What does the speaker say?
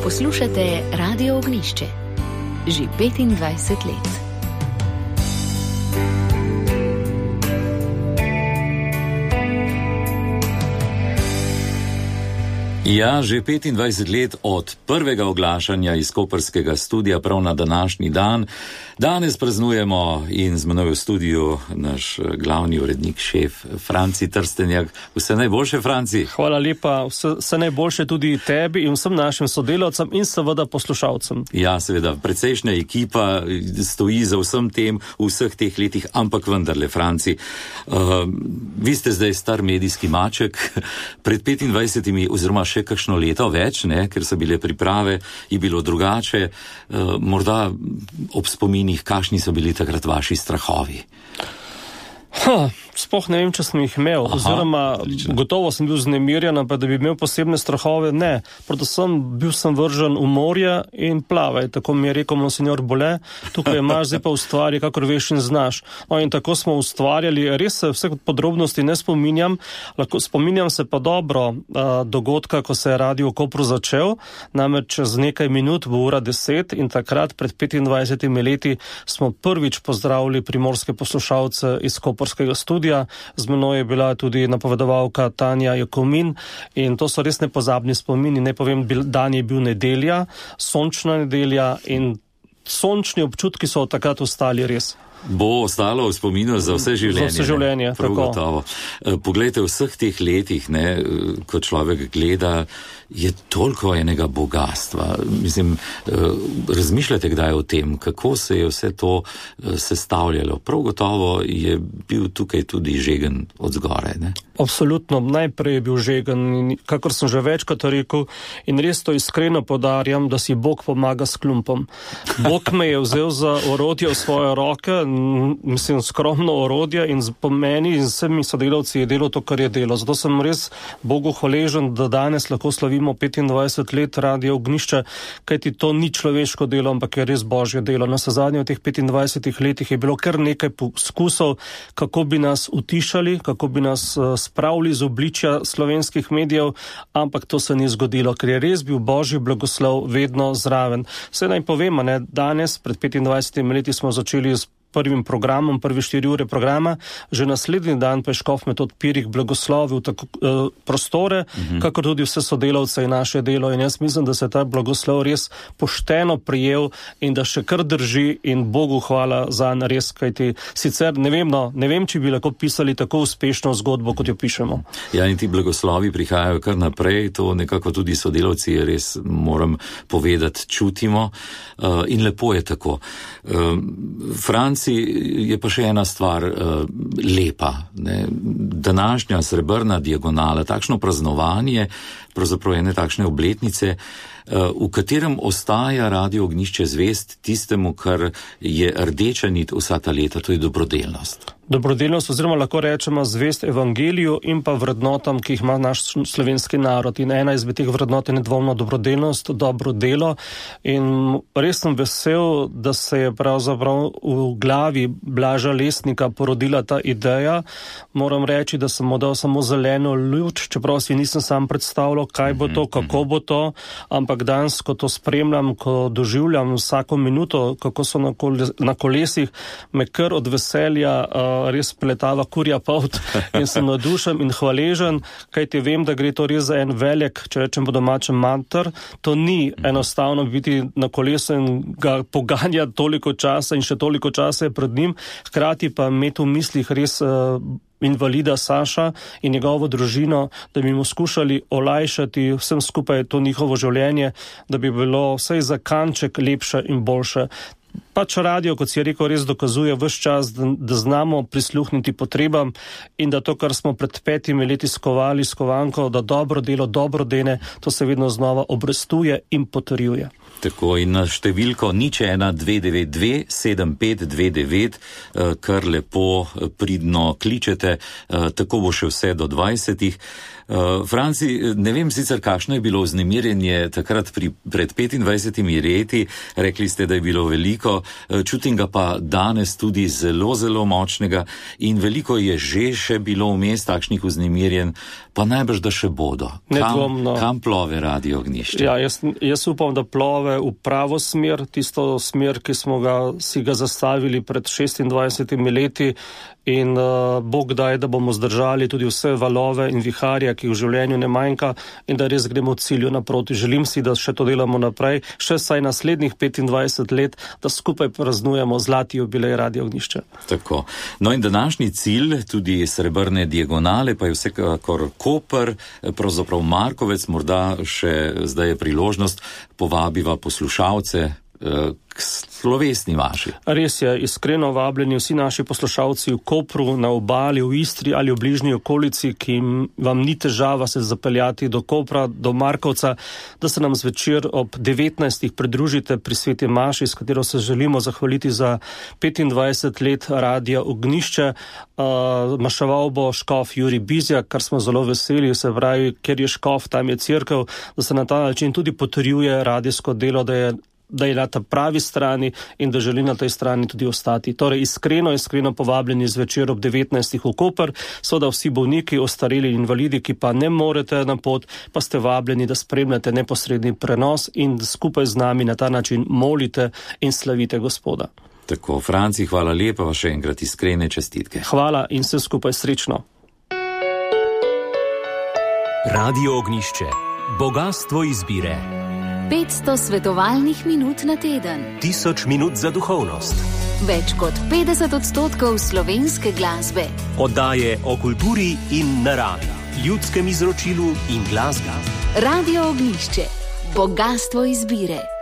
Poslušate Radio Ognjišče. Že 25 let. Ja, že 25 let od prvega oglašanja iz koprskega studia prav na današnji dan. Danes praznujemo in z menoj v studiu naš glavni urednik, šef Franci Trstenjak. Vse najboljše, Franci. Hvala lepa, vse najboljše tudi tebi in vsem našim sodelavcem in seveda poslušalcem. Ja, seveda, precejšnja ekipa stoji za vsem tem v vseh teh letih, ampak vendarle, Franci, vi ste zdaj star medijski maček, pred 25 oziroma še kakšno leto več, ker so bile priprave, je bilo drugače, morda ob spominih, kakšni so bili takrat vaši strahovi? Sploh ne vem, če sem jih imel, oziroma gotovo sem bil vznemirjen, pa da bi imel posebne strahove, ne. Predvsem bil sem vržen v morje in plavaj, tako mi je rekel monsignor Bole, tukaj imaš, zdaj pa ustvari, kakor veš in znaš. No in tako smo ustvarjali, res se vseh podrobnosti ne spominjam, spominjam se pa dobro dogodka, ko se je Radio Kopru začel, namreč čez nekaj minut bo ura 10 in takrat pred 25 leti smo prvič pozdravili primorske poslušalce iz koprskega studia. Z menoj je bila tudi napovedovalka Tanja Jakomin in to so res nepozabni spomini. Ne povem, dan je bil nedelja, sončna nedelja in sončni občutki so od takrat ostali res. Bo ostalo v spominu za vse življenje. Za vse življenje, tako. Poglejte, v vseh teh letih, ko človek gleda, je toliko enega bogatstva. Mislim, razmišljate kdaj o tem, kako se je vse to sestavljalo? Prav gotovo je bil tukaj tudi žegen od zgoraj, ne? Absolutno, najprej je bil žegen, kakor sem že večkrat rekel, in res to iskreno podarjam, da si Bog pomaga s klumpom. Bog me je vzel za orodje v svoje roke, mislim, skromno orodje in po meni in vsemi sodelavci je delo to, kar je delo. Zato sem res Bogu hvaležen, da danes lahko slavimo 25 let Radio Ognjišče, kajti to ni človeško delo, ampak je res božje delo. Na zadnje v teh 25 letih je bilo kar nekaj poskusov, kako bi nas utišali, kako bi nas spravili z obličja slovenskih medijev, ampak to se ni zgodilo, ker je res bil božji blagoslov vedno zraven. Vse naj povemo, danes pred 25 leti smo začeli s prvim programom, prvi 4 ure programa, že naslednji dan pa je škof Metod Pirih blagoslovil tako prostore, kakor tudi vse sodelavce in naše delo. In jaz mislim, da se ta blagoslov res pošteno prijel in da še kar drži in Bogu hvala za res, kajti sicer ne vem, či bi lahko pisali tako uspešno zgodbo, kot jo pišemo. Ja, in ti blagoslovi prihajajo kar naprej, to nekako tudi sodelavci res, moram povedati, čutimo in lepo je tako. Franci, je pa še ena stvar lepa. Današnja srebrna diagonala, takšno praznovanje, pravzaprav ene takšne obletnice, v katerem ostaja Radio Ognjišče zvest tistemu, kar je rdeča nit vsa ta leta, to je dobrodelnost. Dobrodelnost, oziroma lahko rečemo zvest evangeliju in pa vrednotam, ki jih ima naš slovenski narod. In ena izmed teh vrednot je nedvomno dobrodelnost, dobro delo. In res sem vesel, da se je pravzaprav v glavi Blaža Lesnika porodila ta ideja. Moram reči, da sem mu dal samo zeleno luč, čeprav si nisem sam predstavljal, kaj bo to, kako bo to, ampak danes, ko to spremljam, ko doživljam vsako minuto, kako so na kolesih, me kar od veselja res pletava kurja polt in sem navdušen in hvaležen, kajti vem, da gre to res za en velik, če rečem po domačem, manter. To ni enostavno biti na kolesu in ga poganjati toliko časa in še toliko časa je pred njim, hkrati pa imeti v mislih res invalida Saša in njegovo družino, da bi mu skušali olajšati vsem skupaj to njihovo življenje, da bi bilo vsaj za kanček lepše in boljše. Pač radio, kot si je rekel, res dokazuje ves čas, da znamo prisluhniti potrebam in da to, kar smo pred 5 leti skovali s kovanko, da dobro delo, dobro dene, to se vedno znova obrestuje in potrjuje. Tako, in na številko 01-292 7529, kar lepo pridno kličete, tako bo še vse do 20. Franci, ne vem sicer, kakšno je bilo vznemirjenje takrat pred 25 leti, rekli ste, da je bilo veliko veliko, čutim ga pa danes tudi zelo, zelo močnega in veliko je že še bilo vmes takšnih vznemirjen, pa najbrž da še bodo. Kam plove Radio Ognjišče? Ja, jaz upam, da plove v pravo smer, tisto smer, ki smo si ga zastavili pred 26 leti in Bog daj, da bomo zdržali tudi vse valove in viharja, ki v življenju ne manjka in da res gremo v cilju naproti. Želim si, da še to delamo naprej, še saj naslednjih 25 let, da skupaj praznujemo zlati jubilej Radio Ognjišče. Tako. No in današnji cilj, tudi srebrne diagonale, pa je vsekakor Koper, pravzaprav Markovec, morda še zdaj je priložnost, povabiva poslušalce k slovesni vaši. Res je, iskreno vabljeni vsi naši poslušalci v Kopru, na obali, v Istri ali v bližnji okolici, ki vam ni težava se zapeljati do Kopra, do Markovca, da se nam zvečer ob 19. pridružite pri sveti maši, s katero se želimo zahvaliti za 25 let Radia Ognjišče. Maševal bo škof Jurij Bizjak, kar smo zelo veseli, se pravi, ker je škof, tam je cerkev, da se na ta način tudi potrjuje radijsko delo, da je na ta pravi strani in da želi na tej strani tudi ostati. Torej, iskreno povabljeni zvečer ob 19. v Koper, so da vsi bolniki, ostareli invalidi, ki pa ne morete na pot, pa ste vabljeni, da spremljate neposredni prenos in da skupaj z nami na ta način molite in slavite Gospoda. Tako, Franci, hvala lepa, pa še enkrat iskrene čestitke. Hvala in vse skupaj srečno. Radio Ognjišče. Bogastvo izbire. 500 svetovalnih minut na teden. 1000 minut za duhovnost. Več kot 50% slovenske glasbe. Oddaje o kulturi in naravi, ljudskem izročilu in glasbi. Radio Ognjišče. Bogastvo izbire.